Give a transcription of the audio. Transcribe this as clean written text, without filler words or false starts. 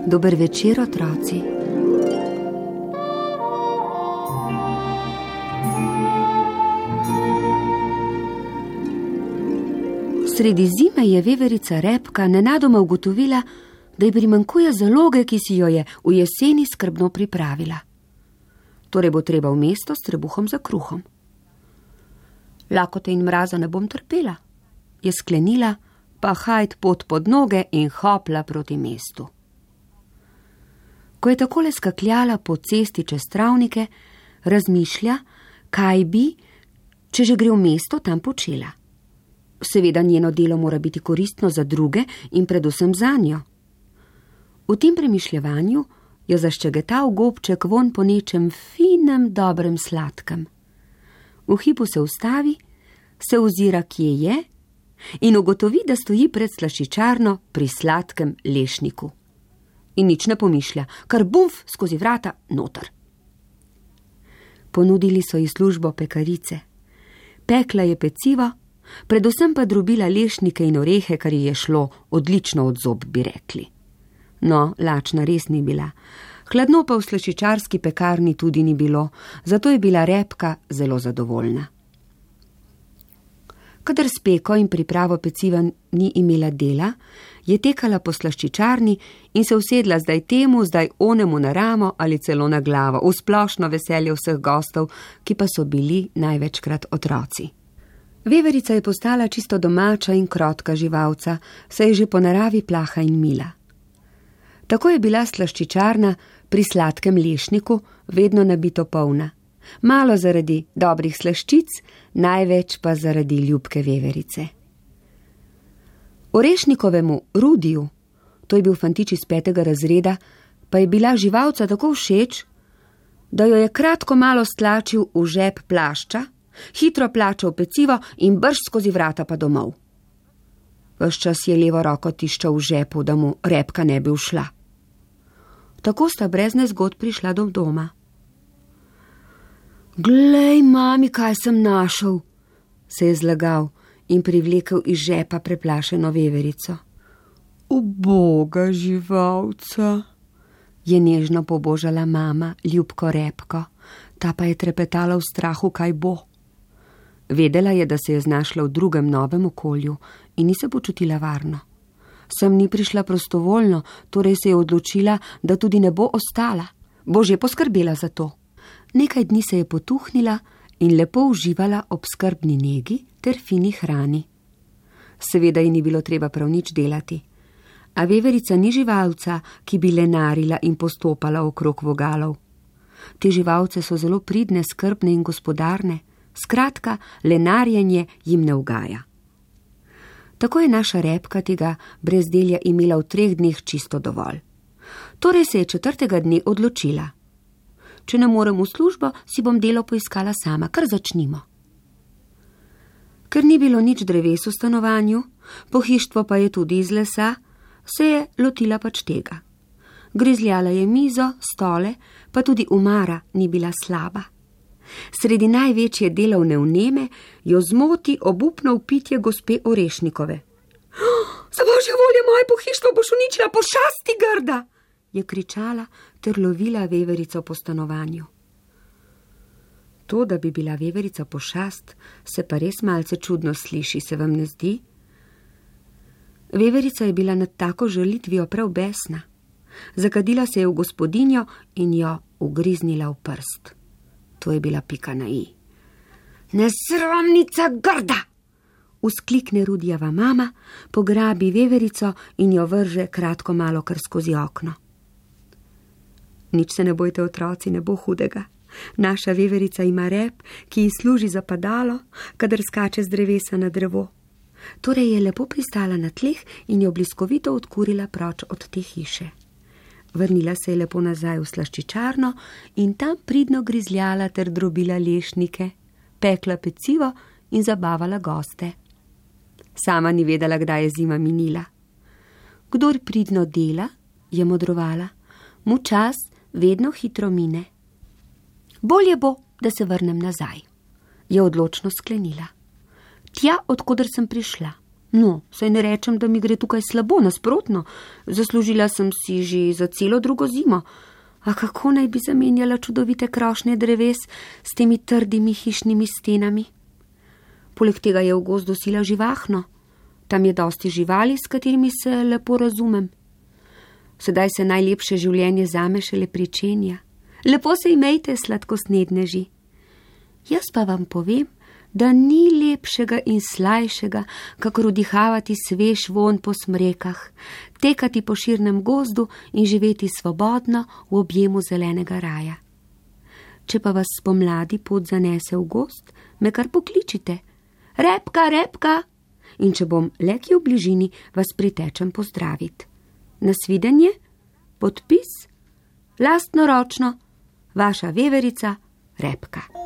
Dober večer, otroci. Sredi zime je veverica Repka nenadoma ugotovila, da ji primanjkuje zaloge, ki si jo je v jeseni skrbno pripravila. Torej bo treba v mesto s trebuhom za kruhom. Lakote in mraza ne bom trpela, je sklenila, pa hajt pot pod noge in hopla proti mestu. Ko je takole skakljala po cesti čez travnike, razmišlja, kaj bi, če že gre v mesto, tam počela. Seveda njeno delo mora biti koristno za druge in predvsem zanjo. V tem premišljevanju jo zaščegetal gobček vonj po nečem finem, dobrem sladkem. V hipu se ustavi, se ozira, kje je, in ugotovi, da stoji pred slaščičarno pri sladkem lešniku. In nič ne pomišlja, kar bumf skozi vrata noter. Ponudili so ji službo pekarice. Pekla je pecivo, predvsem pa drobila lešnike in orehe, kar ji je šlo odlično od zob, bi rekli. No, lačna res ni bila. Hladno pa v slaščičarski pekarni tudi ni bilo, zato je bila Repka zelo zadovoljna. Kadar s peko in pripravo peciva ni imela dela, je tekala po slaščičarni in se usedla zdaj temu, zdaj onemu na ramo ali celo na glavo, v splošno veselje vseh gostov, ki pa so bili največkrat otroci. Veverica je postala čisto domača in krotka živalca, saj je že po naravi plaha in mila. Tako je bila slaščičarna pri sladkem lešniku vedno nabito polna. Malo zaradi dobrih slaščic, največ pa zaradi ljubke veverice. Orešnikovemu Rudiju, to je bil fantič iz 5. razreda, pa je bila živalca tako všeč, da jo je kratko malo stlačil v žep plašča, hitro plačal pecivo in brž skozi vrata pa domov. Ves čas je levo roko tiščal v žepu, da mu Repka ne bi ušla. Tako sta brez nezgod prišla do doma. Glej, mami, kaj sem našel, se je zlagal in privlekel iz žepa preplašeno veverico. Uboga živalca, je nežno pobožala mama ljubko Repko, ta pa je trepetala v strahu, kaj bo. Vedela je, da se je znašla v drugem novem okolju in ni se počutila varno. Sem ni prišla prostovoljno, torej se je odločila, da tudi ne bo ostala. Bo že poskrbela za to. Nekaj dni se je potuhnila in lepo uživala ob skrbni negi ter fini hrani. Seveda ji ni bilo treba prav nič delati. A veverica ni živalca, ki bi lenarila in postopala okrog vogalov. Te živalce so zelo pridne, skrbne in gospodarne. Skratka, lenarjenje jim ne ugaja. Tako je naša Repka tega brezdelja imela v 3 dneh čisto dovolj. Torej se je 4. dne odločila. Če ne morem v službo, si bom delo poiskala sama, kar začnimo. Ker ni bilo nič dreves v stanovanju, pohištvo pa je tudi iz lesa, se je lotila pač tega. Grizljala je mizo, stole, pa tudi umara ni bila slaba. Sredi največje delovne vneme jo zmoti obupno vpitje gospe Orešnikove. Za božjo voljo, moje pohištvo boš uničila, pošasti grda, je kričala ter lovila veverico po stanovanju. To, da bi bila veverica pošast, se pa res malce čudno sliši, se vam ne zdi? Veverica je bila nad tako žalitvijo prav besna. Zakadila se je v gospodinjo in jo ugriznila v prst. To je bila pika na i. Nesramnica grda! Vzklikne Rudijeva mama, pograbi veverico in jo vrže kratko malo kar skozi okno. Nič se ne bojte, otroci, ne bo hudega. Naša veverica ima rep, ki ji služi za padalo, kadar skače z drevesa na drevo. Torej je lepo pristala na tleh in jo bliskovito odkurila proč od te hiše. Vrnila se je lepo nazaj v slaščičarno in tam pridno grizljala ter drobila lešnike, pekla pecivo in zabavala goste. Sama ni vedela, kdaj je zima minila. Kdor pridno dela, je modrovala, mu čas vedno hitro mine. Bolje bo, da se vrnem nazaj, je odločno sklenila. Tja, odkoder sem prišla. No, saj ne rečem, da mi gre tukaj slabo, nasprotno. Zaslužila sem si že za celo drugo zimo. A kako naj bi zamenjala čudovite krošnje dreves s temi trdimi hišnimi stenami? Poleg tega je v gozdu sila živahno. Tam je dosti živali, s katerimi se lepo razumem. Sedaj se najlepše življenje zame šele pričenja. Lepo se imejte, sladkosnedneži. Jaz pa vam povem, da ni lepšega in slajšega, kakor vdihavati svež vonj po smrekah, tekati po širnem gozdu in živeti svobodno v objemu zelenega raja. Če pa vas spomladi pot zanese v gozd, me kar pokličite. Repka, repka! In če bom le kje v bližini, vas pritečem pozdraviti. Nasvidenje, podpis, lastnoročno, vaša veverica Repka.